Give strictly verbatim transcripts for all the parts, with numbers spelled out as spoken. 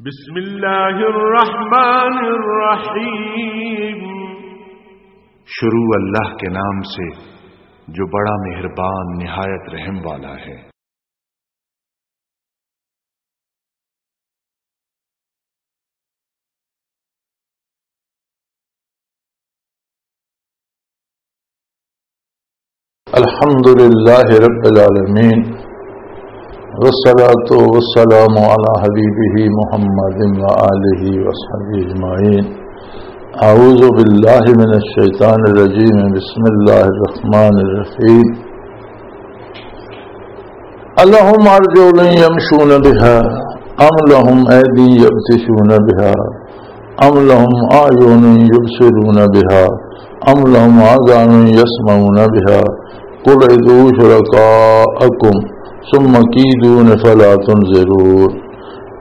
بسم اللہ الرحمن الرحیم۔ شروع اللہ کے نام سے، جو بڑا مہربان، نہایت رحم والا ہے۔ الحمد لله رب العالمين، والصلاة والسلام على حبيبه محمد وآله وصحبه أجمعين. أعوذ بالله من الشيطان الرجيم. بسم الله الرحمن الرحيم. ألهم أرجل يمشون بها أم لهم أيدي يبطشون بها أم لهم أعين يبصرون بها أم لهم آذان يسمعون بها قل ادعوا شركاءكم ثم كيدون فلا تنظرون.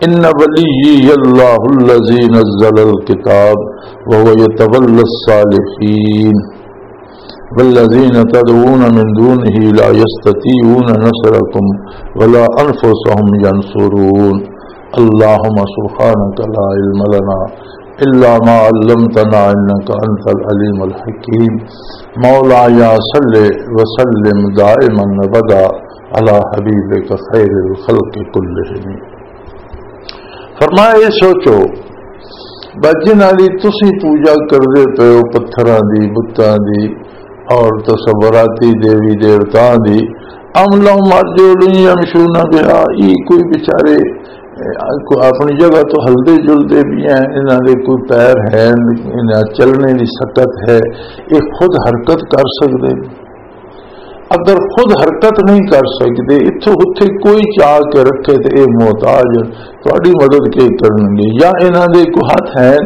إن وليي الله الذي نزل الكتاب وهو يتولى الصالحين. والذين تدعون من دونه لا يستطيعون نصركم ولا أنفسهم ينصرون. اللهم سبحانك لا علم لنا إلا ما علمتنا إنك أنت العليم الحكيم. مولاي صل وسلم دائما أبدا على حبيبك خير الخلق كلهم. فرمایا، یہ سوچو، بس جنہاں دی تسی پوجا کردے پئے ہو، پتھراں دی، بتاں دی اور تصوراتی دیوی دیوتاں دی، ام لہم ارجل یمشون بہا، ای کوئی بیچارے، اے، کوئی اپنی جگہ تو ہلدے جلدے بھی ہیں، انہاں دے کوئی پیر ہیں، انہاں چلنے دی سکت ہے، یہ خود حرکت کر سکدے۔ اگر خود حرکت نہیں کر سکدے، اتھوں اتھے کوئی چاہ کے رکھے تے اے محتاج ہن، تہاڈی مدد کے کرن گے؟ یا انہاں دے کوئی ہتھ ہیں،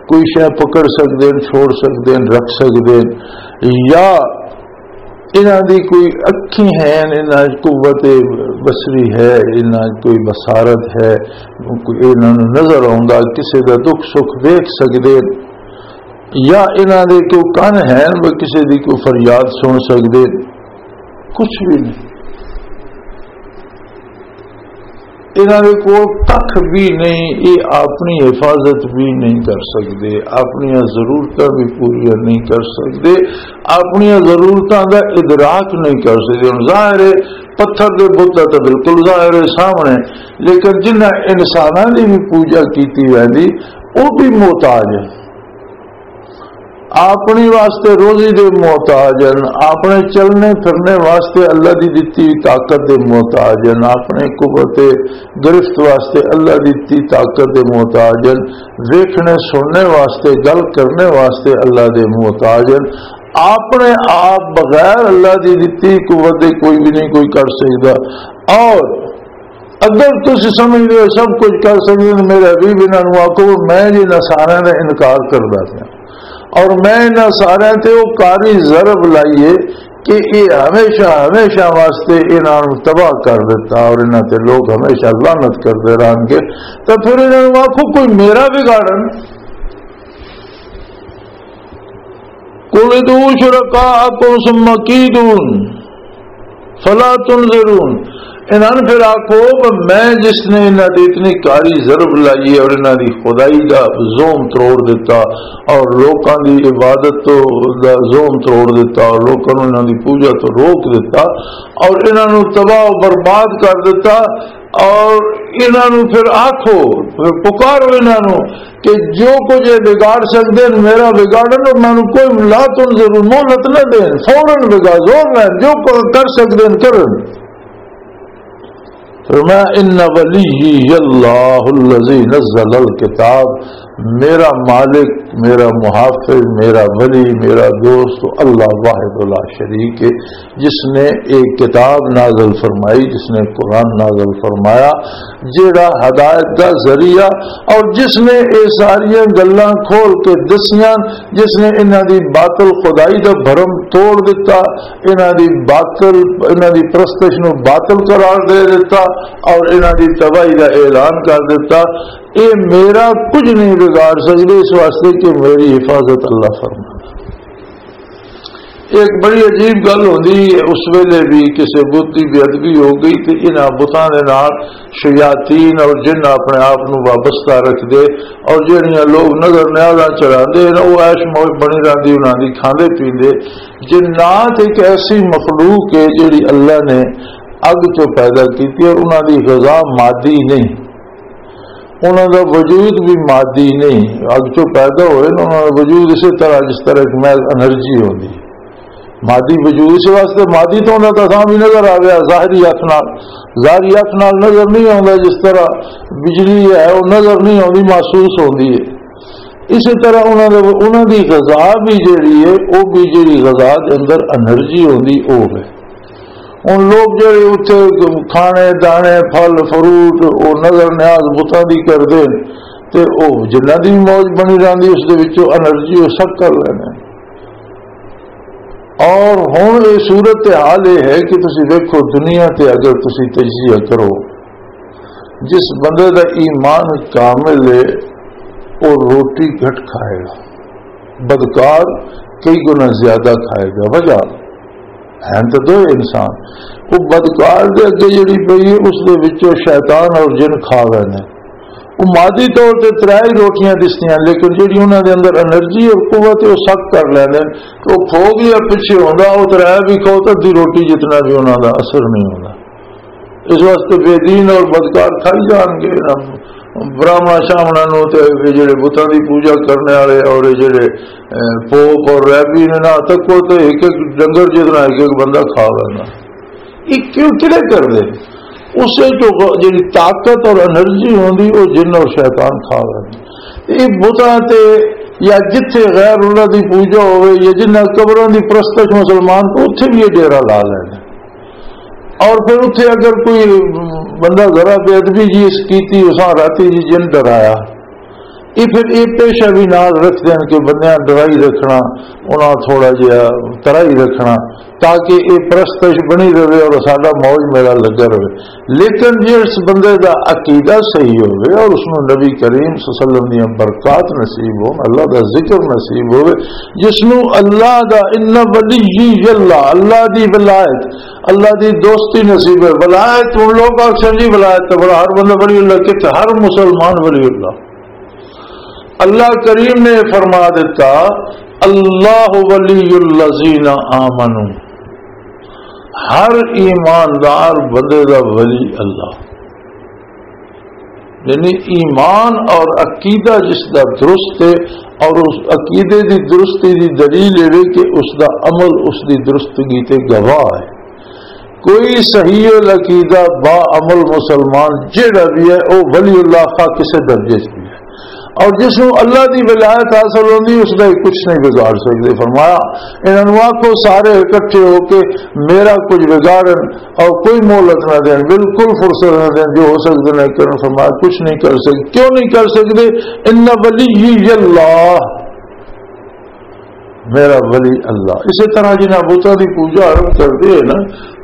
کوئی شے پکڑ سکدے ہن، چھوڑ سکدے ہن، رکھ سکدے ہن، یا انہاں دی کوئی اکھیں ہیں، انہاں وچ قوت بصری ہے، انہاں وچ کوئی بصارت ہے، کوئی انہاں نوں نظر آوندا، کسے دا دکھ سکھ ویکھ سکدے ہن؟ یا انہاں دے کوئی کن ہیں، وہ کسے دی کوئی فریاد سن سکدے؟ کچھ بھی نہیں۔ انہاں دے کول ککھ بھی نہیں، یہ اپنی حفاظت بھی نہیں کر سکدے، اپنی ضرورتاں بھی پوریاں نہیں کر سکدے، اپنی ضرورتاں دا ادراک نہیں کر سکدے۔ ہن ظاہر ہے، پتھر دے بت دا تاں بالکل ظاہر ہے سامنے، لیکن جنہاں انساناں دی بھی پوجا کیتی ویندی، وہ بھی محتاج ہے۔ اپنی واسطے روزی دے محتاج ہن، اپنے چلنے پھرنے واسطے اللہ دی دتی ہوئی طاقت دے محتاج ہن، اپنے قوت گرفت واسطے اللہ دی دتی طاقت دے محتاج ہن، ویکھنے سننے واسطے، گل کرنے واسطے اللہ دے محتاج ہن۔ اپنے آپ بغیر اللہ دی دتی قوت دے کوئی بھی نہیں کوئی کر سکدا۔ اور اگر تسی سمجھدے ہو سب کچھ کر سکدے ہو، میرے حبیب انہاں نوں آکھو، میں جی انہاں سارے دا انکار کردا پیا، اور میں انہاں سارے تے وہ کاری ضرب لائیے کہ یہ ہمیشہ، ہمیشہ واسطے انہاں نوں تباہ کر دیتا اور انہاں تے لوگ ہمیشہ لعنت کردے رہن گے، تو پھر انہاں نوں آکھو، کوئی میرا بگاڑن۔ قل ادعوا شرکاءکم ثم کیدون فلا تنظرون۔ انہاں نوں پھر آکھو کہ میں جس نے انہاں دی اتنی کاری ضرب لائی ہے اور انہاں دی خدائی دا زوم تروڑ دیتا اور لوکاں دی عبادت تو دا زوم تروڑ دیتا اور لوکاں نوں انہاں دی پوجا تو روک دیتا اور انہاں نوں تباہ و برباد کر دیتا، اور انہاں نوں پھر آکھو، پھر پکارو انہاں نوں کہ جو کچھ یہ بگاڑ سکدے ہیں، میرا بگاڑن، اور مینوں کوئی لا تنظروا، مہلت نہ دین، فوراً بگاڑ، زور لین، جو ک-، کر سکدے ہیں، کرن۔ فرمایا، "ان ولی اللہ الذی نزل الکتاب"، میرا مالک، میرا محافظ، میرا ولی، میرا دوست اللہ واحد لا شریک ہے، جس نے ایک کتاب نازل فرمائی، جس نے قرآن نازل فرمایا، جیڑا ہدایت دا ذریعہ، اور جس نے یہ ساریاں گلاں کھول کے دسیاں، جس نے انہاں دی باطل خدائی دا بھرم توڑ دتا، انہاں دی باطل، انہاں دی پرستش نو باطل قرار دے دتا اور انہاں دی تباہی دا اعلان کر دتا۔ اے میرا کچھ نہیں بگاڑ سکدے، اس واسطے کہ میری حفاظت اللہ فرمایا۔ ایک بڑی عجیب گل ہوندی ہے، اس ویلے بھی کسی بت دی بے ادبی ہو گئی تے انہاں بتاں دے نال شیاطین اور جن اپنے آپ نوں وابستہ رکھدے، اور جہڑیاں لوگ نظر نیازاں چڑھاندے نے، وہ عیش موج بنی رہندی انہاں دی، کھاندے پیندے۔ جنات ایک ایسی مخلوق ہے جہڑی اللہ نے اگ چوں پیدا کیتی، اور انہاں دی غذا مادی نہیں، انہاں دا وجود بھی مادی نہیں۔ اگ چوں پیدا ہوئے نا، انہاں دا وجود اسی طرح، جس طرح ایک محض انرجی ہوندی ہے۔ مادی وجود، اس واسطے مادی تو انہاں دا سامنے نظر آ رہا، ظاہری اکھ نال، ظاہری اکھ نال نظر نہیں آوندا۔ جس طرح بجلی ہے، وہ نظر نہیں آوندی، محسوس ہوندی ہے۔ اسی طرح انہاں دے، انہاں دی غذا بھی جیڑی ہے، وہ بھی جیڑی غذا دے اندر انرجی ہوندی، وہ ہے۔ ہن لوگ جیڑے اتھے کھانے دانے، پھل فروٹ، وہ نظر نیاز بتاں دی کردے نے، تے وہ جنہاں دی موج بنی رہندی، اس دے وچوں انرجی وہ سک کر لینے۔ اور ہن یہ صورت حال یہ ہے کہ تسی ویکھو، دنیا تے اگر تسی تجزیہ کرو، جس بندے دا ایمان کامل ہے، وہ روٹی گھٹ کھائے گا، بدکار کئی گنا زیادہ کھائے گا۔ وجہ ہے تو دو انسان، وہ بدکار دے اگے جڑی پئی ہے، اس دے وچوں شیطان اور جن کھا گئے نے۔ وہ مادی طور تے ترے ہی روٹیاں دسدیاں، لیکن جڑی انہاں دے اندر انرجی اور قوت ہے، وہ سک کر لیندے نے۔ تو وہ کھو گیا، پچھے ہوندا، وہ ترے بھی کھو، تو ادھی روٹی جتنا بھی انہاں دا اثر نہیں ہوندا۔ اس واسطے بے دین اور بدکار کھائی جان گے۔ براہمنا شامنا نو تے اے جڑے بتاں دی پوجا کرنے والے اور اے جڑے، اے، پوپ اور ریبی نے نہ تک کو تے ایک ایک ڈنگر جتنا ایک ایک بندہ کھا لینا۔ یہ کیوں، کدے کر دے؟ اس سے جو غ-، جڑی طاقت اور انرجی ہوندی، وہ جن اور شیطان کھا لینا۔ یہ بتاں تے یا جتھے غیر اللہ دی پوجا ہوئے یا جنہاں قبراں دی پرستش مسلمان کو، اتھے بھی یہ ڈیرہ لا لینا۔ اور پھر اتھے اگر کوئی بندہ ذرا بے ادبی جی اس کیتی، اساں راتی جی جن ڈرایا، یہ پھر یہ پیشہ بھی نال رکھ دین کہ بندیاں ڈرائی رکھنا، انہاں تھوڑا جہا ترائی رکھنا، تاکہ یہ پرستش بنی رہے اور ساڈا موج میلہ لگا رہے۔ لیکن جس بندے دا عقیدہ صحیح ہوئے اور اس نوں نبی کریم صلی اللہ علیہ وسلم دیاں برکات نصیب ہون، اللہ دا ذکر نصیب ہوئے، جس نوں اللہ دا، ان ولی اللہ، اللہ دی ولایت، اللہ دی دوستی نصیب ہے۔ ولایت، ان لوگ آخر جی ولایت تو بڑا ہر بندہ ولی اللہ، کتنے ہر مسلمان ولی اللہ۔ اللہ کریم نے فرما دیتا، اللہ ولی الذین آمنو، ہر ایماندار بندے دا ولی اللہ۔ یعنی ایمان اور عقیدہ جس دا درست ہے، اور اس عقیدے دی درستی دی دلیل یہ ہے کہ اس دا عمل اس دی درستگی تے گواہ ہے۔ کوئی صحیح العقیدہ با عمل مسلمان جیڑا بھی ہے، وہ ولی اللہ خواہ کسے درجے چ بھی ہے۔ اور جس نوں اللہ دی ولایت حاصل ہوندی، اس دا کچھ نہیں بگاڑ سکدے۔ فرمایا، انہاں نوں آکھو سارے اکٹھے ہو کے میرا کچھ بگاڑن اور کوئی مہلت نہ دین، بالکل فرصت نہ دین، جو ہو سکدے نہ کرن۔ فرمایا، کچھ نہیں کر سکدے۔ کیوں نہیں کر سکدے؟ ان ولی اللہ، میرا ولی اللہ۔ اسی طرح جنہاں بتاں دی پوجا آرمب کردے ہیں نا،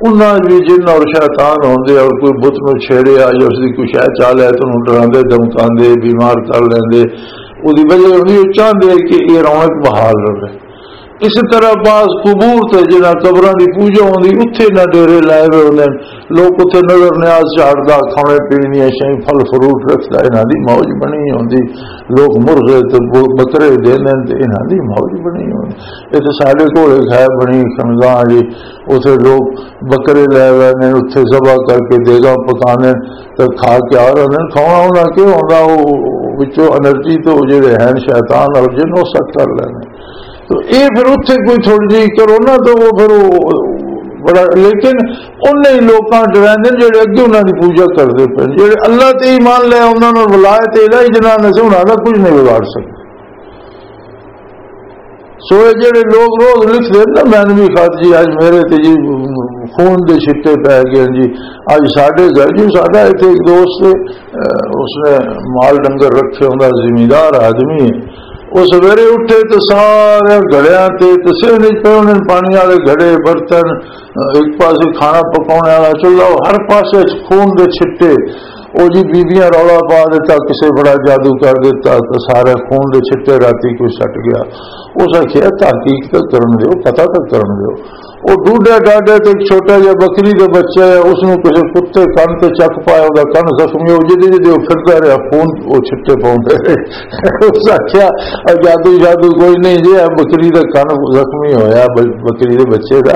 انہاں وچ بھی جن اور شیطان ہوندے، اور کوئی بت نوں چھیڑیا یا اس دی کوئی شے چا لے تو انہوں ڈراندے، دھمکاندے، بیمار کر لیندے، اودی وجہ ہوندی، وہ چاہندے کہ یہ رونق بحال رہے۔ اس طرح بعض قبور تے جنہاں قبراں دی پوجا ہوندی، اتھے نہ ڈیرے لائے ہوئے ہوندے نے، لوگ اتھے نظر نیاز چاڑھدا، کھانے پینے دیاں شیاں، پھل فروٹ رکھدا، انہاں دی موج بنی ہوندی۔ لوگ مرغے تے ب-، بکرے دیندے نے تے انہاں دی موج بنی ہوندی۔ یہ تے ساڈے کول ایک ہے بنی خنگاں جی، اتھے لوگ بکرے لے آوے نے، اتھے ذبح کر کے دیگاں پکانے تے کھا کے آ رہے نے۔ کھانا انہاں کیوں ہوندا؟ وہ وچوں انرجی تو جڑے ہیں شیطان اور جن، وہ سک کر لینے۔ تو اے پھر اتھے کوئی تھوڑی جہی کرونا تو وہ پھر وہ بڑا، لیکن انہیں لوکاں ڈراندے نے جڑے اگے انہاں دی پوجا کردے پے، جڑے اللہ تے ایمان لے، انہاں نال ولایت الہی جنہاں نے سے، انہاں دا کچھ نہیں بگاڑ سکدے۔ سو اے جڑے لوگ روز لکھدے نا مینوی خط جی، اج میرے تے جی خون دے چھٹے پے گئے جی، اج ساڈے گھر جی، ساڈا ایتھے ایک دوست، اہ، اس نے مال ڈنگر رکھے ہوندا، زمیندار آدمی ہے۔ وہ سویرے اٹھے تے سارے گھڑیاں تے، تے سندھ وچ پے ہوندے نے پانی والے گھڑے، برتن، ایک پاسے کھانا پکانے والا چولہا، ہر پاسے خون دے چھٹے۔ او جی بیبیاں رولا پا دیتا، کسے بڑا جادو کر دیتا، تے سارے خون دے چھٹے راتی کوئی سٹ گیا۔ اس آکھیا، "تحقیق تک کرن دیو، پتہ تک کرن دیو۔" او ڈوڈے ڈاڈے تے ایک چھوٹا جہا بکری دے بچے ہے، اس نوں کسے کتے کن تے چک پایا، او دا کن زخمی ہو جدے جدے او پھردا رہیا، خون او چھٹے پاؤندے رہے۔ اس آکھیا، "اے جادو جادو کوئی نہیں جی، اے بکری دا کن زخمی ہویا، ب-، بکری دے بچے دا،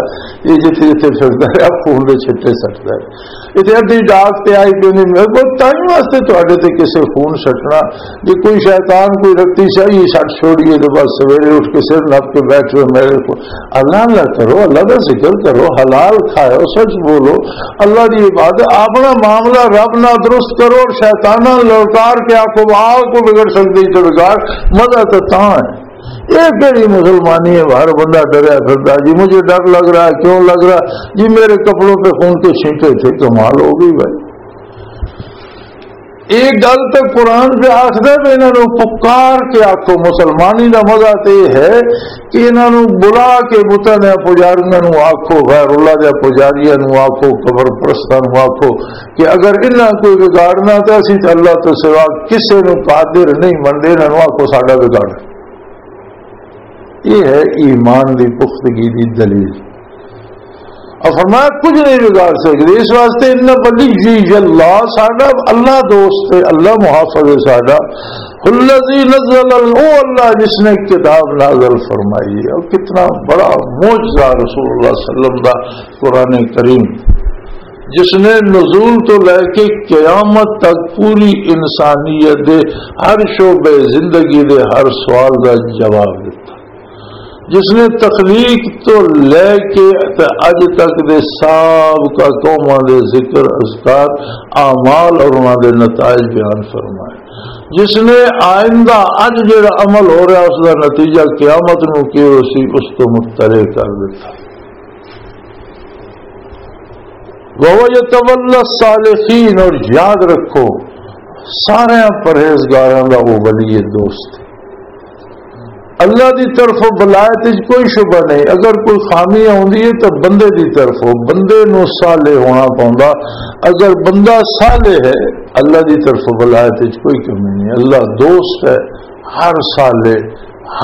یہ جتھے جتھے پھردا رہیا، خون دے چھٹے سٹدا ہے۔" اتنے ادھی ڈاک تے آئی پی، میرے کو تائیں واسطے تہاڈے تے کسے خون سٹنا، جے کوئی شیطان کوئی رتی شاہی سٹ چھوڑیے تو بس سویرے اٹھ کے سر نپ کے بیٹھ رہے میرے کو۔ اللہ اللہ کرو، اللہ دا ذکر کرو، حلال کھاؤ، سچ بولو، اللہ دی عبادت، اپنا معاملہ رب نال درست کرو اور شیطاناں للکار کے آکھو، "آ کو بگڑ سکدی تے بگاڑ، مزہ تے تاں ہے۔" یہ کہڑی مسلمانی ہے؟ ہر بندہ ڈریا پھردا، "جی مجھے ڈر لگ رہا ہے۔" کیوں لگ رہا؟ جی میرے کپڑوں پہ خون کے چھینٹے تھے، کمال ہو گئی بھائی۔ ایک گل تے قرآن پہ آخدا ہے، انہاں نوں پکار کے آکھو۔ مسلمانی دا مزہ تے یہ ہے کہ انہاں نوں بلا کے بتاں دیاں پجاریاں نوں آکھو، غیر اللہ دے پجاریاں نوں آکھو، قبر پرستاں نوں آکھو کہ اگر انہاں کوئی بگاڑنا تے اسی تے اللہ تو سوا کسے نوں قادر نہیں منتے، انہاں نوں آکھو ساڈا بگاڑ۔ یہ ہے ایمان دی پختگی دی دلیل۔ اور فرمایا، کچھ نہیں بگاڑ سکتے۔ اس واسطے ان ولی اللہ، ساڈا اللہ دوست ہے، اللہ محافظ ہے ساڈا۔ الذی نزل ال-، او اللہ جس نے کتاب نازل فرمائی ہے۔ اور کتنا بڑا معجزہ رسول اللہ صلی اللہ علیہ وسلم دا قرآن کریم، جس نے نزول تو لے کے قیامت تک پوری انسانیت دے ہر شعبے زندگی دے ہر سوال دا جواب دیتا، جس نے تخلیق تو لے کے تے اج تک دے سابقہ قوماں دے ذکر، اذکار، اعمال اور انہاں دے نتائج بیان فرمائے، جس نے آئندہ اج جڑا عمل ہو رہا اس دا نتیجہ قیامت نو کی ہو سی، اس تو مطلع کر دیتا۔ وَهُوَ يَتَوَلَّى الصَّالِحِينَ، اور یاد رکھو، سارے پرہیزگاراں دا وہ ولی دوست۔ اللہ دی طرفوں ولایت وچ کوئی شبہ نہیں۔ اگر کوئی خامی آوندی ہے تو بندے دی طرفوں، بندے نو صالح ہونا پوندا۔ اگر بندہ صالح ہے، اللہ دی طرفوں ولایت وچ کوئی کمی نہیں۔ اللہ دوست ہے ہر صالح،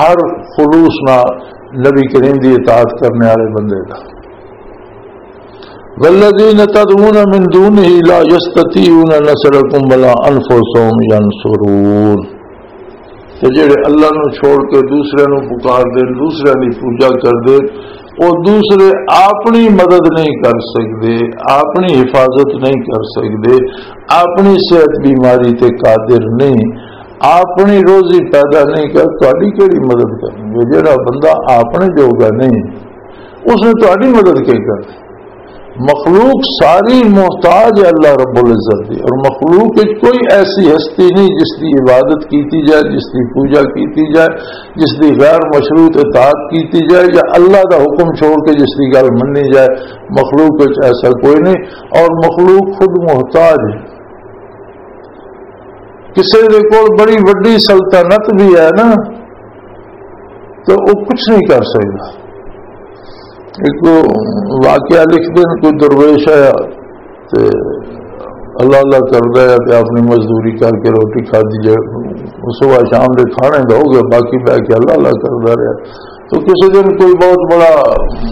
ہر خلوص نال نبی کریم دی اطاعت کرنے والے بندے دا۔ والذین تدعون من دونه لا یستطیعون نصرکم ولا انفسهم ینصرون۔ تے جڑے اللہ نو چھوڑ کے دوسرے نو پکار دے، دوسرے دی پوجا کر دے، او دوسرے اپنی مدد نہیں کر سکدے، اپنی حفاظت نہیں کر سکدے، اپنی صحت بیماری تے قادر نہیں، اپنی روزی پیدا نہیں کر، تہاڈی کیڑی مدد کرنگے؟ جڑا بندہ اپنے جوگا نہیں، اس نے تہاڈی مدد کیا کرنی؟ مخلوق ساری محتاج ہے اللہ رب العزت دی، اور مخلوق وچ کوئی ایسی ہستی نہیں جس دی عبادت کیتی جائے، جس دی پوجا کیتی جائے، جس دی غیر مشروط اطاعت کیتی جائے، یا اللہ دا حکم چھوڑ کے جس دی گل مننی جائے۔ مخلوق وچ ایسا کوئی نہیں، اور مخلوق خود محتاج ہے۔ کسے دے کول بڑی وڈی سلطنت بھی ہے نا، تو وہ کچھ نہیں کر سکتا۔ ایک واقعہ لکھ دین، کوئی درویش آیا تے اللہ اللہ کردا ہے تے اپنی مزدوری کر کے روٹی کھادی جائے، صبح شام دے کھانے دا ہو گیا، باقی بہ کے اللہ اللہ کردا رہیا۔ تو کسی دن کوئی بہت بڑا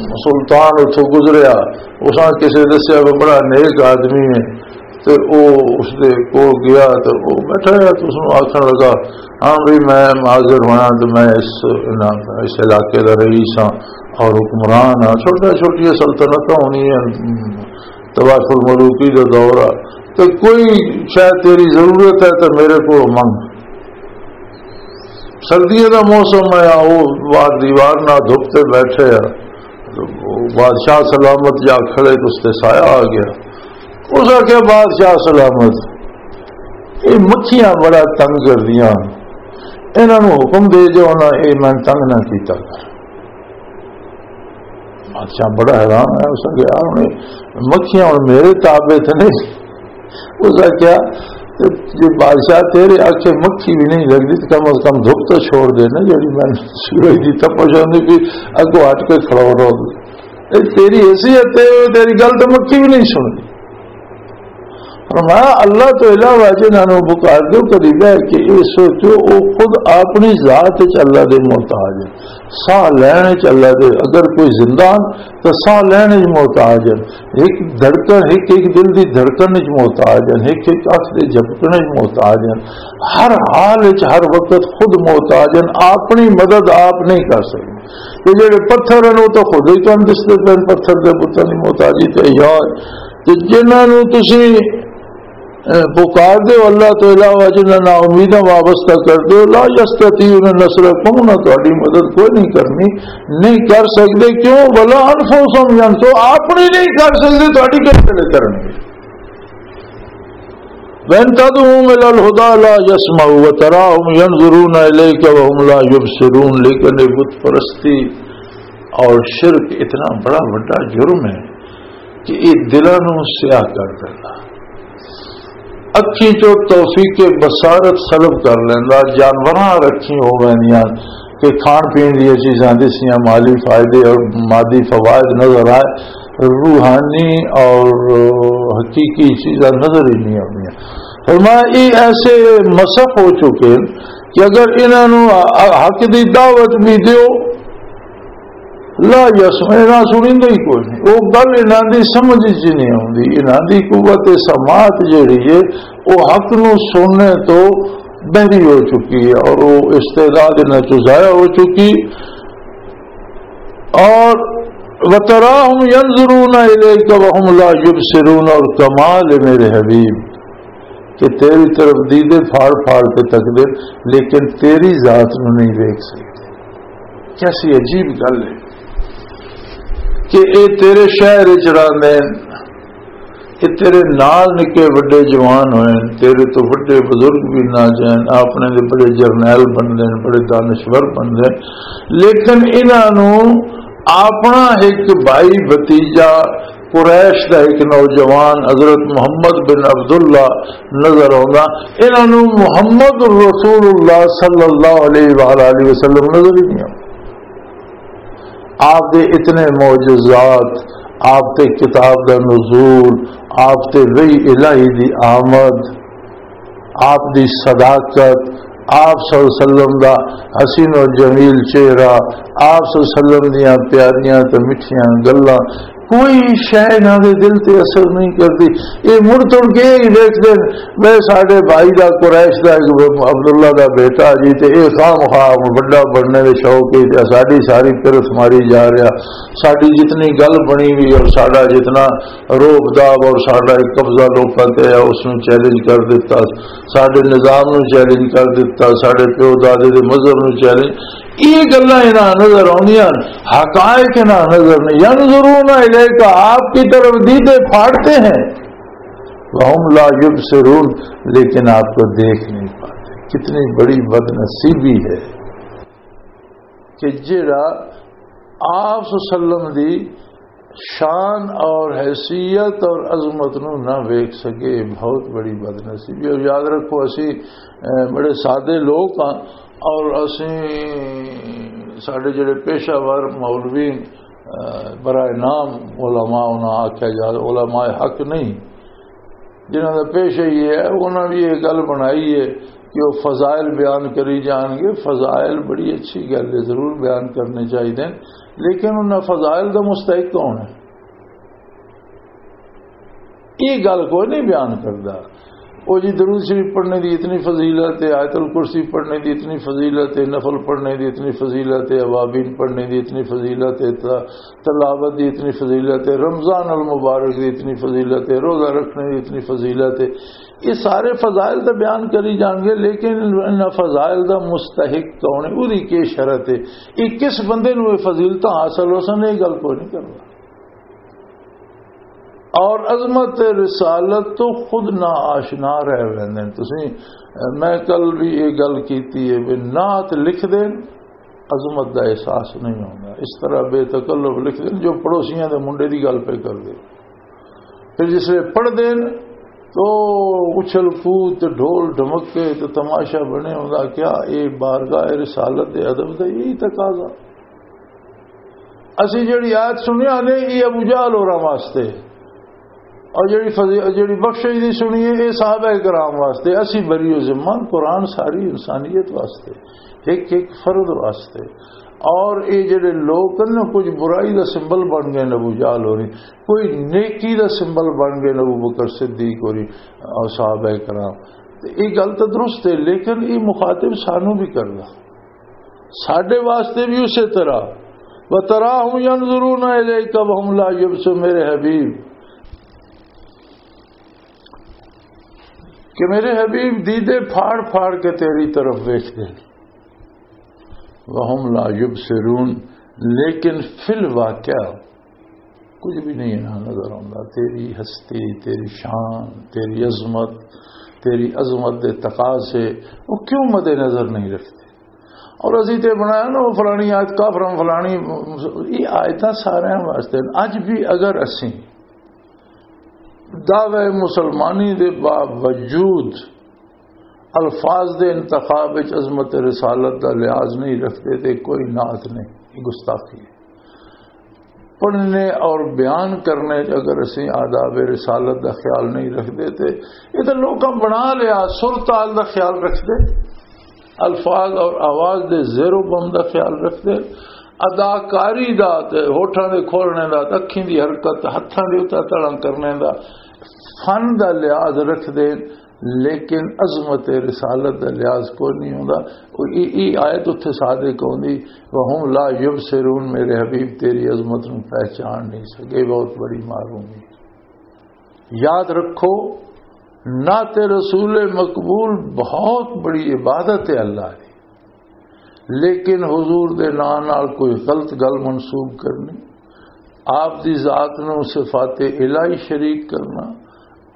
سلطان اتھوں گزریا، اساں کسی دسیا کہ بڑا نیک آدمی ہے، تے او اس دے کول گیا تے او بیٹھا رہیا تے اس نوں آکھن لگا، "ہاں بھئی، میں معذر ہونا تے میں اس، اس علاقے دا رئیس ہاں اور حکمران ہاں۔" چھوٹیاں چھوٹیاں سلطنتاں ہونی ہیں، تباشر ملوکی دا دور آ، تے کوئی شاید تیری ضرورت ہے تے میرے کو منگ۔ سردیاں دا موسم ہے، او باہر دیوار نال دھپ تے بیٹھے آ۔ بادشاہ سلامت جا کھڑے تے اس تے سایہ آ گیا۔ اس آکھیا، "بادشاہ سلامت، یہ مکھیاں بڑا تنگ کردیاں، انہاں نوں حکم دے جو انہاں یہ میں تنگ نہ کیتا کر۔" بادشاہ بڑا حیران ہے، اس نے کہا، "ہن مکھیاں ہن میرے تابع تے نہیں۔" اس نے کہا، "تے جے بادشاہ تیرے آکھے مکھی بھی نہیں لگدی، تے کم از کم دھپ تو چھوڑ دے نا، جیڑی میں سورج دی تپش ہوندی پئی، اگوں ہٹ کے کھڑو رہو۔ اے تیری حیثیت ہے، تیری گل تے مکھی بھی نہیں سننی۔" فرمایا، اللہ تو علاوہ جنہاں نوں پکار دو، کدی بہ کے یہ سوچو، وہ خود اپنی ذات وچ اللہ دے محتاج ہے۔ ساہ لین وچ اللہ دے، اگر کوئی زندہ ہن تو ساہ لین وچ محتاج ہن، ایک دھڑکن، ایک ایک دل دی دھڑکن وچ محتاج ہن، ایک ایک اکھ دے جھپکن وچ محتاج ہن۔ ہر حال وچ، ہر وقت خود محتاج ہن، اپنی مدد آپ نہیں کر سکدے۔ یہ جڑے پتھر ہن، وہ تو خود ہی تانوں دسدے پے ہن، پتھر دے بتاں دی محتاجی تے یا تے جنہاں نوں تسی، اے، پکار دے ہو اللہ تو علاوہ، جنہاں نال امیداں وابستہ کر دے ہو، لا یستطیعون نصرکم، نہ تہاڈی مدد کوئی نہیں کرنی، نہیں کر سکدے۔ کیوں؟ ولا انفسہم ینصرون، اپنی نہیں کر سکدے، تہاڈی کس طرح کرنگے؟ وَإِن تَدْعُوهُمْ إِلَى الْهُدَى لَا يَسْمَعُوا وَتَرَاهُمْ يَنْظُرُونَ إِلَيْكَ وَهُمْ لَا يُبْصِرُونَ۔ لیکن یہ بت پرستی اور شرک اتنا بڑا بڑا جرم ہے کہ یہ دلاں نوں سیاہ کر دینا، اکھیں چوں توفیق بصارت سلب کر لیندا، جانوراں رکھی ہو ویندیاں کہ کھان پین دیاں چیزاں دسیاں، مالی فائدے اور مادی فوائد نظر آئے، روحانی اور حقیقی چیزاں نظر ہی نہیں آندیاں۔ فرمایا، یہ ایسے مسخ ہو چکے ہیں کہ اگر انہاں نوں حق دی دعوت بھی دیو، لا یسمع، انہاں سنیندے ہی کوئی نہیں۔ وہ گل انہاں دی سمجھ وچ نہیں آندی، انہاں دی قوت سماعت جڑی ہے، وہ حق نو سننے تو بہری ہو چکی ہے اور وہ استعداد انہاں چوں ضائع ہو چکی۔ اور وَتَرَاهُمْ يَنْظُرُونَ إِلَيْكَ وَهُمْ لَا يُبْصِرُونَ، اور کمال ہے میرے حبیب کہ تیری طرف دیدے پھاڑ پھاڑ کے تک دے، لیکن تیری ذات نو نہیں دیکھ سکتے۔ کیسی عجیب گل ہے کہ اے تیرے شہر وچ رہندے ہیں، اے تیرے نال نکے وڈے جوان ہوئے ہیں، تیرے تو وڈے بزرگ بھی نہ جائیں، اپنے دے بڑے جرنیل بندے ہیں، بڑے دانشور بندے ہیں، لیکن انہاں نوں اپنا ایک بھائی بھتیجا قریش دا ایک نوجوان حضرت محمد بن عبداللہ نظر آندا، انہاں نوں محمد رسول اللہ صلی اللہ علیہ وآلہ وسلم نظر ہی نہیں آندا۔ آپ دے اتنے معجزات، آپ تے کتاب دا نزول، آپ تے وحی الہی دی آمد، آپ دی صداقت، آپ صلی اللہ علیہ وسلم دا حسین و جمیل چہرہ، آپ صلی اللہ علیہ وسلم دیاں پیاریاں تے مٹھیاں گلاں، کوئی شے انہاں دے دل تے اثر نہیں کردی۔ اے مڑ تڑ کے ہی ویکھدے نے، میں ساڈے بھائی دا، قریش دا، عبداللہ دا بیٹا جی، تے اے خام خواہ وڈا بننے دے شوق ہے، تے ساڈی ساری پرس ماری جا رہا، ساڈی جتنی گل بنی ہوئی اور ساڈا جتنا روب داب اور ساڈا ایک قبضہ لوکاں تے ہے، اس نوں چیلنج کر دتا، ساڈے نظام نوں چیلنج کر دتا، ساڈے پیو دادے دے مذہب نوں چیلنج۔ یہ گلاں انہاں نظر آؤندیاں، حقائق انہاں نظر نہیں۔ ينظرون إليك، آپ کی طرف دیدے پھاڑتے ہیں، وهم لا يبصرون، لیکن آپ کو دیکھ نہیں پاتے۔ کتنی بڑی بدنصیبی ہے کہ جڑا آپ صلی اللہ علیہ وسلم دی شان اور حیثیت اور عظمت نو نہ ویکھ سکے، بہت بڑی بدنصیبی۔ اور یاد رکھو، اسی، اے، بڑے سادے لوگ ہاں، اور اسی، ساڈے جڑے پیشہ ور مولوی، اے، برائے نام علماء انہاں آکھیا جا، علماء حق نہیں، جنہاں دا پیشہ یہ ہے، انہاں بھی یہ گل بنائی ہے کہ وہ فضائل بیان کری جان گے۔ فضائل بڑی اچھی گل ہے، ضرور بیان کرنے چاہیے، لیکن انہاں فضائل دا مستحق کون ہے؟ یہ گل کوئی نہیں بیان کردا۔ وہ جی، درود شریف پڑھنے دی اتنی فضیلت ہے، آیت الکرسی پڑھنے دی اتنی فضیلت ہے، نفل پڑھنے دی اتنی فضیلت ہے، اوابین پڑھنے دی اتنی فضیلت ہے، ت-، تلاوت دی اتنی فضیلت ہے، رمضان المبارک دی اتنی فضیلت ہے، روزہ رکھنے دی اتنی فضیلت ہے۔ یہ سارے فضائل تو بیان کری جان گے، لیکن ان فضائل دا مستحق کون ہے، وہدی کی شرط ہے، یہ کس بندے نوں یہ فضیلتاں حاصل ہو سن، یہ گل کوئی نہیں کرنا۔ اور عظمت رسالت تو خود نہ آشنا رہ ویندے نے۔ تسی، میں کل بھی یہ گل کیتی ہے، بھی نعت لکھ دین، عظمت دا احساس نہیں ہوندا۔ اس طرح بے تکلف لکھ دین، جو پڑوسیاں دے منڈے دی گل پہ کر دے۔ پھر جس ویلے پڑھ دین تو اچھل کود تے ڈھول ڈھمکے تے تماشا بنے ہوندا، کیا اے بارگاہ رسالت دے ادب دا یہی تقاضا؟ اسی جڑی آیت سنیا نے، یہ ابو جہل ہوراں واسطے، اور جڑی فضی-، جڑی بخشش دی سنی ہے، یہ صحابہ کرام واسطے، اسی بری و ذمہ، قرآن ساری انسانیت واسطے، ایک ایک فرد واسطے۔ اور یہ جڑے لوگ ہیں نا، کچھ برائی دا سمبل بن گئے نبو جال ہو رہی، کوئی نیکی دا سمبل بن گئے نبو بکر صدیق ہو رہی اور صحابہ کرام۔ تے یہ گل تو درست ہے، لیکن یہ مخاطب سانو بھی کردا، ساڈے واسطے بھی اسی طرح۔ وَتَرَاهُمْ يَنْظُرُونَ إِلَيْكَ وَهُمْ لَا يُبْصِرُونَ، میرے حبیب، کہ میرے حبیب دیدے پھاڑ پھاڑ کے تیری طرف ویکھدے نے۔ وَهُمْ لَا يُبْصِرُونَ، لیکن فی الواقع کچھ بھی نہیں انہاں نظر آتا۔ تیری ہستی، تیری شان، تیری عظمت، تیری عظمت دے تقاضے وہ کیوں مد نظر نہیں رکھتے؟ اور اسی تے بنایا نا، وہ فلانی آیت کافراں، فلانی، یہ آیتاں سارے واسطے ہیں۔ اج بھی اگر اسی دعوی مسلمانی دے باوجود الفاظ دے انتخاب وچ عظمت رسالت دا لحاظ نہیں رکھتے تے کوئی نعت نہیں، یہ گستاخی ہے۔ پڑھنے اور بیان کرنے وچ اگر اسی آداب رسالت دا خیال نہیں رکھتے تے یہ تو لوکاں بنا لیا، سر تال دا خیال رکھتے، الفاظ اور آواز دے زیر و بم دا خیال رکھتے، اداکاری دا تے ہوٹھاں دے کھولنے دا تے اکھیں دی حرکت، ہتھاں دے اتر تڑاں کرنے دا، فن دا لحاظ رکھدے، لیکن عظمت رسالت دا لحاظ کوئی نہیں ہوندا۔ او ای، ای آیت اتھے صادق ہوندی، "وَهُمْ لَا يُبْصِرُونَ"، میرے حبیب تیری عظمت نو پہچان نہیں سکے، بہت بڑی محرومی۔ یاد رکھو، نعت رسول مقبول بہت بڑی عبادت ہے اللہ دی، لیکن حضور دے نام نال کوئی غلط گل منسوب کرنی، آپ دی ذات نو صفات الہی شریک کرنا،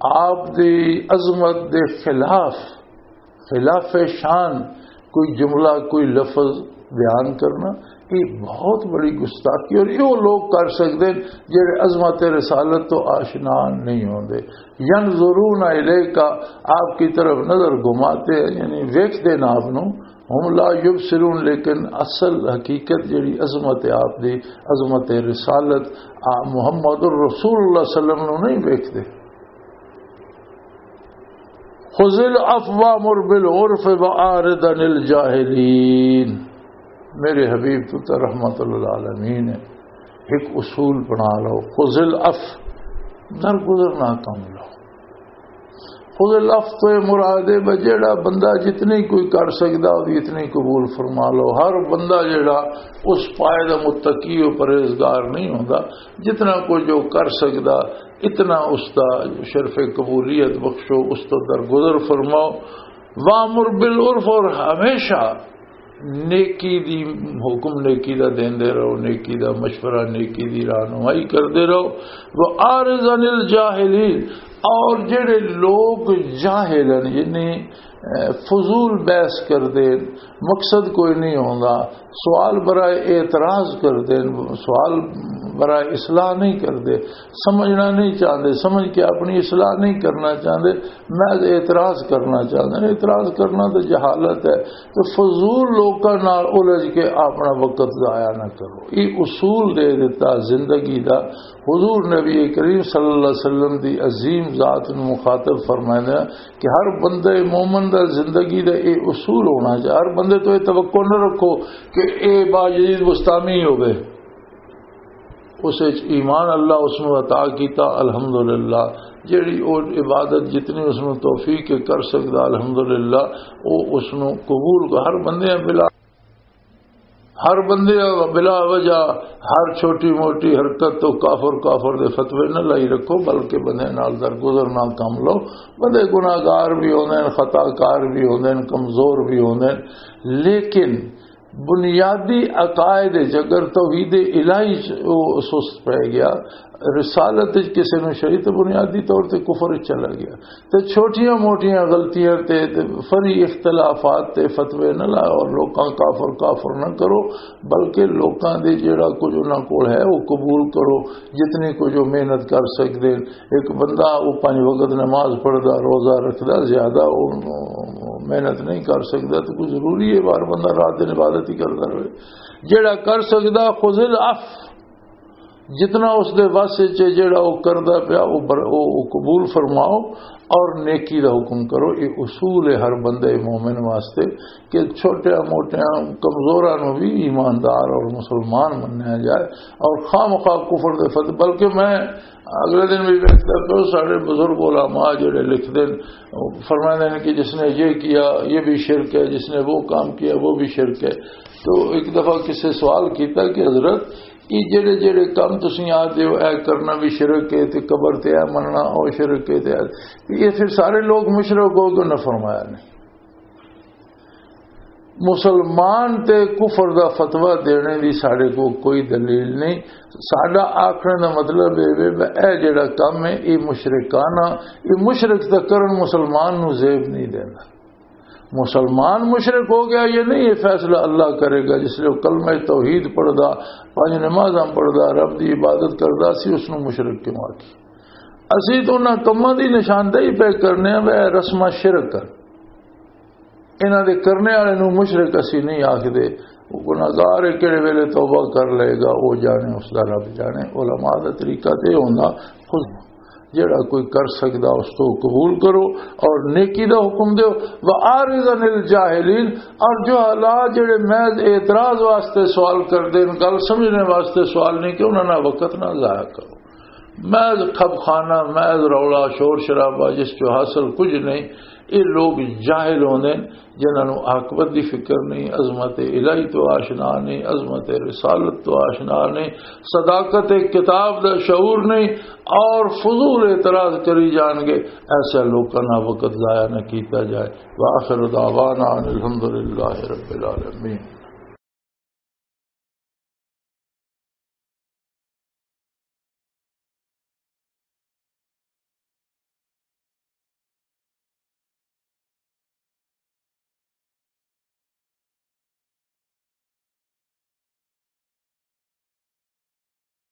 آپ دی عظمت دے خلاف، خلاف شان کوئی جملہ، کوئی لفظ بیان کرنا، یہ بہت بڑی گستاخی۔ اور یہ لوگ کر سکتے ہیں جڑے عظمت رسالت تو آشنا نہیں ہوندے۔ ینظرون الیک، آپ کی طرف نظر گھماتے ہیں، یعنی ویکھدے نہ آپ نو۔ ہم لا یبصرون، لیکن اصل حقیقت جڑی عظمت ہے آپ دی، عظمت رسالت، آ محمد الرسول اللہ صلی اللہ علیہ وسلم نو نہیں ویکھدے۔ خذ العفو وامر بالعرف واعرض عن الجاہلین۔ میرے حبیب، تو تے رحمت للعالمین ہے، ایک اصول بنا لو، خذ العفو، درگزر نہ کم لو۔ خذ العفو تو یہ مراد ہے بھئی جیڑا بندہ جتنی کوئی کر سکدا، وہ اتنی قبول فرما لو۔ ہر بندہ جیڑا اس پائے دا متقی و پرہیزگار نہیں ہوندا، جتنا کوئی جو کر سکدا، اتنا اس دا شرف قبولیت بخشو، اس تو درگزر فرماؤ۔ وامر بالعرف، اور ہمیشہ نیکی دی حکم، نیکی دا دیندے رہو، نیکی دا مشورہ، نیکی دی رہنمائی کردے رہو۔ وَأَعْرِضْ عَنِ الْجَاهِلِينَ، اور جڑے لوگ جاہل ہیں، یعنی، اے، فضول بحث کردے، مقصد کوئی نہیں ہوندا، سوال برائے اعتراض کردے، سوال برائے اصلاح نہیں کردے، سمجھنا نہیں چاہندے، سمجھ کے اپنی اصلاح نہیں کرنا چاہندے، محض اعتراض کرنا چاہندے۔ اعتراض کرنا تو جہالت ہے۔ تو فضول لوکاں نال الجھ کے اپنا وقت ضائع نہ کرو۔ یہ اصول دے دیتا زندگی دا۔ حضور نبی کریم صلی اللہ علیہ وسلم دی عظیم ذات نو مخاطب فرمائندا کہ ہر بندے مومن دا زندگی دا یہ اصول ہونا چاہیے۔ ہر بندے تو یہ توقع نہ رکھو کہ اے باجدید بستانی ہوگئے۔ اس وچ ایمان اللہ اس نو عطا کیتا، الحمدللہ۔ جیڑی او عبادت جتنی اس نو توفیق کے کر سکدا، الحمدللہ، او اس نو قبول کر۔ ہر بندے بلا، ہر بندے بلا وجہ ہر چھوٹی موٹی حرکت تو کافر، کافر دے فتوے نہ لائی رکھو، بلکہ بندے نال درگزر نہ کم لو۔ بندے گناہگار بھی ہوندے ہیں، خطا کار بھی ہوندے ہیں، کمزور بھی ہوندے ہیں، لیکن بنیادی عقائد وچ اگر توحید الہی چ او سست پہ گیا، رسالت وچ کسے نوں شریعت بنیادی طور تے کفر وچ چلا گیا، تے چھوٹیاں موٹیاں غلطیاں تے، تے فری اختلافات تے فتوے نہ لاؤ اور لوکاں کافر کافر نہ کرو، بلکہ لوکاں دے جڑا کچھ انہاں کول ہے وہ قبول کرو، جتنی کچھ وہ محنت کر سکدے۔ ایک بندہ وہ پنج وقت نماز پڑھدا، روزہ رکھدا، زیادہ وہ محنت نہیں کر سکدا، تو کوئی ضروری ہے ہر بندہ رات دن عبادت ہی کردا رہے؟ جڑا کر سکدا، خذ العفو، جتنا اس دے وس وچ ہے، جڑا وہ کردا پیا، وہ بر-، وہ، وہ قبول فرماؤ اور نیکی دا حکم کرو۔ یہ اصول ہے ہر بندے مومن واسطے کہ چھوٹیاں موٹیاں کمزوراں نو بھی ایماندار اور مسلمان منیا جائے اور خام خواہ کفر دے فتح۔ بلکہ میں اگلے دن بھی ویکھدا پیا، سارے بزرگ علماء جڑے لکھدے نے، فرماندے نے کہ جس نے یہ کیا یہ بھی شرک ہے، جس نے وہ کام کیا وہ بھی شرک ہے۔ تو ایک دفعہ کسی سوال کیتا کہ حضرت، یہ جڑے جڑے کام تسی آدھے ہو، اے کرنا بھی شرک ہے، تے قبر تے اے مننا او شرک ہے، تے اے، تے یہ پھر سارے لوگ مشرک ہو کیوں نہ فرمایا نے؟ مسلمان تے کفر دا فتویٰ دینے دی ساڈے کو کوئی دلیل نہیں۔ ساڈا آکھنے دا مطلب اے وے، اے جڑا کم ہے، اے مشرکانہ، اے مشرک دا کرن مسلمان نو زیب نہیں دینا۔ مسلمان مشرک ہو گیا یا نہیں، یہ فیصلہ اللہ کرے گا۔ جس لئے وہ کلمہ توحید پڑھدا، پنج نمازاں پڑھدا، رب دی عبادت کردا، اسی اس نو مشرک کیوں آکھی؟ اسی تو انہاں کماں دی نشاندہی پہ کرنے ہیں، وہ رسمہ شرک ہے۔ انہاں دے کرنے والے نو مشرک اسی نہیں آکھدے۔ وہ گناہگار ہے، کہڑے ویلے توبہ کر لے گا، وہ جانے، اس دا رب جانے۔ علماء دا طریقہ تے ہوندا، خود جڑا کوئی کر سکدا، اس تو قبول کرو اور نیکی دا حکم دیو۔ وَأَعْرِضْ عَنِ الْجَاهِلِينَ، اور جو حالات جڑے محض اعتراض واسطے سوال کردے نے، گل سمجھنے واسطے سوال نہیں، کہ انہاں نہ وقت نہ ضائع کرو۔ محض کھب خانہ، محض رولا، شور شرابہ، جس چوں حاصل کچھ نہیں۔ یہ لوگ جاہل ہوندے نے، جنہاں نوں عاقبت دی فکر نہیں، عظمت الہی تو آشنا نہیں، عظمت رسالت تو آشنا نہیں، صداقت کتاب دا شعور نہیں، اور فضول اعتراض کری جان گے۔ ایسے لوکاں نال وقت ضائع نہ کیتا جائے۔ وآخر دعوانا ان الحمد للہ رب العالمین۔